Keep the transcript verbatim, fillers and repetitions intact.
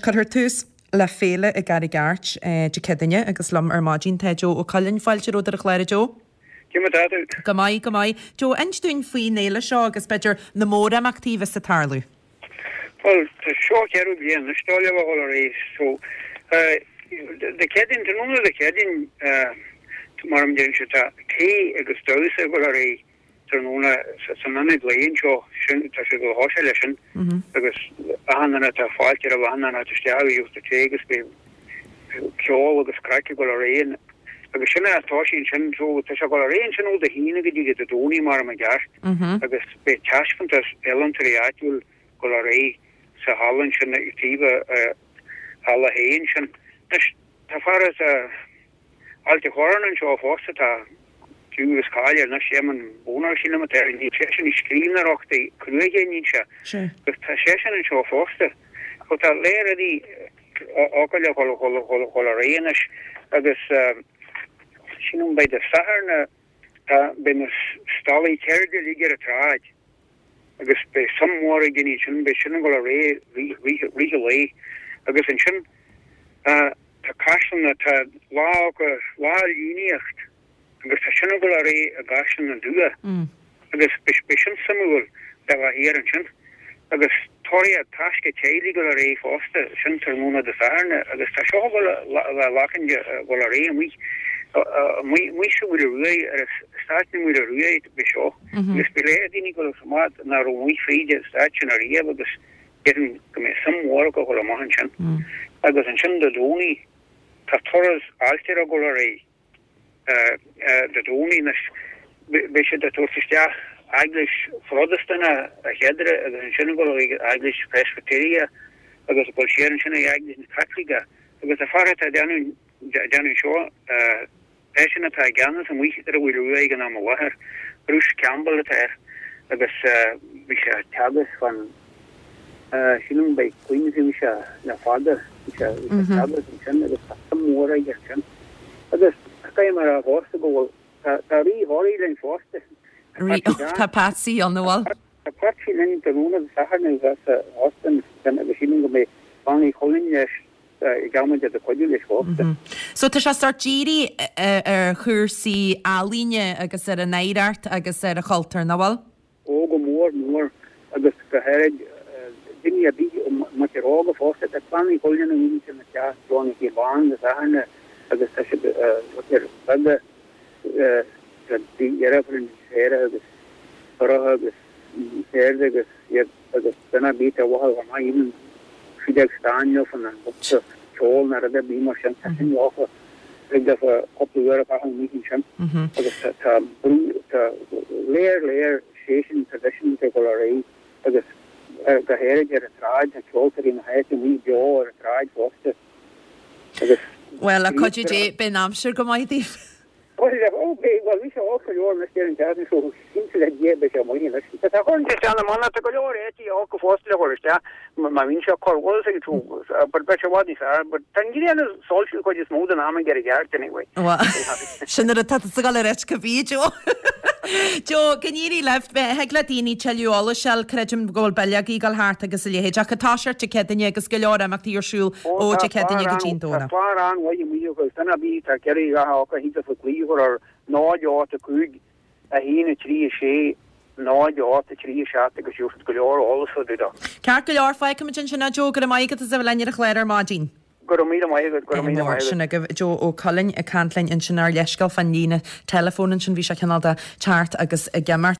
cuirfear tús le féile i gCarraig Airt Dé Céadaoine agus liom ar maidin tá Joe Ó Coileáin. Fáilte romhat ar an chlár, a Joe. Cé mar atá tú? Go maith, go maith. Joe, inis dúinn faoin fhéile seo agus b'fhéidir na mórimeachtaí a bheas ag tarlú. Bhuel, tá seo an ceathrú bliain anois dó le bheith ag dul ar aghaidh. So, Dé Céadaoin, tráthnóna Dé Céadaoin, mar a deireann siad, tá tae agus damhsa ag dul ar aghaidh tráthnóna san ionad lae anseo. Sin, tá sé ag dul a thoiseacht leis sin agus achan duine tá fáilte roimh achan duine a theacht isteach agus gheobhaidh tae agus beidh ceol agus craic ag dul ar aghaidh agus sin é toisí ansin. So, tá sé ag dul ar aghaidh ansin ó Dé hAoine go dtí go Dé Domhnaigh mar i gceart agus beidh taispeántas ealaíontóirí áitiúil ag dul ar aghaidh sa halla ansin ag taobh halla a haon sin. Anois, tá fear as Ailt a' Chorráin anseo fosta, tá clú agus cáil air anois, Éamonn Bonar sílim atá air, níl seisean ag scríbhneoireacht cruaidhe, níl sé, agus tá seisean anseo fosta. So tá léir rudaí acu le dhul dhul ar aghaidh anois agus sílim beidh Dé Sathairn, tá, beidh na stallaí ceirde uilig ar an tsráid. agus beidh suim mhór ag daoine ansin, beidh sin ag dul ar aghaidh i rith an lae agus ansin tá caisleán, tá lá acu, lá líníocht agus tá sin ag dul ar aghaidh i gCaisleán an Dumha agus beidh sin suimiúil le bheith thiar ansin agus tóraíocht taisce teaghlaigh ag dul ar aghaidh fosta, sin tráthnóna Dé Sathairn agus tá seo ag dul a bheith ag dul ar aghaidh amuigh amuigh sa Mhaoile Ruaidh ar eastát na Maoile Ruaidh beidh seo. Agus beidh léir daoine ag dul amach nach raibh amuigh fríd an eastát sin ariamh agus déarfainn go mbeidh suim mhór acu dhul amach ansin. Agus ansin Dé Domhnaigh tá turas ailtire ag dul ar aghaidh Dé Domhnaigh anois. Beidh siad ag tabhairt isteach eaglais Phrotastúnach a chéaduair agus ansin ag dul chuig eaglais Phreisbiteiriach agus ag dul siar ansin ag eaglais na Caitliceach agus an fear atá ag déanamh seo Eisean atá i gceannas amuigh ar an Mhaoil Rua ag an am i láthair. Bruce Campbell atá air agus bhí sé ag teagasc fan, sílim by Queens a bhí sé le fada, bhí sé ag teagasc ansin agus tá suim mhór aige ansin. Agus caithfidh mé a rá fosta go bhfuil, tá Rí Thoraí linn fosta. Tá Patsy ann, an bhfuil? Tá Patsy linn tráthnóna Dé Sathairn sa óstán agus sílim go mbeidh Bean Uí Chuilinn leis ag amanna ag cuidiú leis fosta. So tá sé sórt dírithe ar chúrsaí ealaíne agus ar an oidhreacht agus ar an chultúr, nach bhfuil? Ó go mór mór agus go háirid daoine ar bith, muintir óga fosta. Tá Clann Uí Chuilinn i muintir na teach John Uí Bán Dé Sathairn agus tá siad muintir beaga tá deirfiúr an Séire agus Sorcha agus Séirde agus iad agus duine ar bith a mhothaigh go maith even siad ag stán leofa nó an bosca ceoil nó rud ar bith mar sin tá sin leofa thig leofa cúpla uair a chaitheamh amuigh ansin agus tá tá brú tá léir léir séisean traidisiúnta ag dul ar aghaidh agus go háirid ar an tsráid tá ceoltóirí na háite amuigh beo ar an tsráid fosta agus Bhuel, le cuidiú Dé, beidh an aimsir go maith daoibh. Bhuel, ó, beidh, bhuel, bhí sé olc go leor anois ar an tseachtain seo, cinnte le Dia beidh sé maith anois. Tá sé chun isteach na mná, tá go leor eití olca fosta le chur isteach, má bhíonn sé cur, bhfuil a fhios agat, but beidh sé i bhfad níos fearr, but tá an ghrian ag soilsiú an chuid is mó den am ag ar an gceart anyway. Bhuel, sin ar atá tusa ag dul a ráit cibé, Joe. Joe, go n-éirí libh, thig le daoine tuilleadh eolais a fháil, creidim go bhfuil bileogaí ag dul thart agus a leithéid, ach tá sé ar Dé Céadaoine agus go leor imeachtaí ar siúl Ó ó tá Dé Céadaoine clár go dtí an an, tá Domhnach. clár an-mhaith amuigh agus duine ar bith atá ag iarraidh a dhath acu thig leofa glaoch a chur ar náid ocht a cúig a haon a trí a sé náid ocht a trí a seacht agus gheobhaidh siad go leor eolas fá dtaobh de. Ceart go leor, fágfaimid ansin é Joe, go raibh maith agat as a bheith linn ar an chlár ar maidin. Go raibh míle maith agat, go raibh míle Mór maith agat. sin agaibh Joe Ó Coileáin ag caint linn ansin ár leithscéal fán líne teileafóin ansin, bhí sé cineál de teacht agus ag imeacht.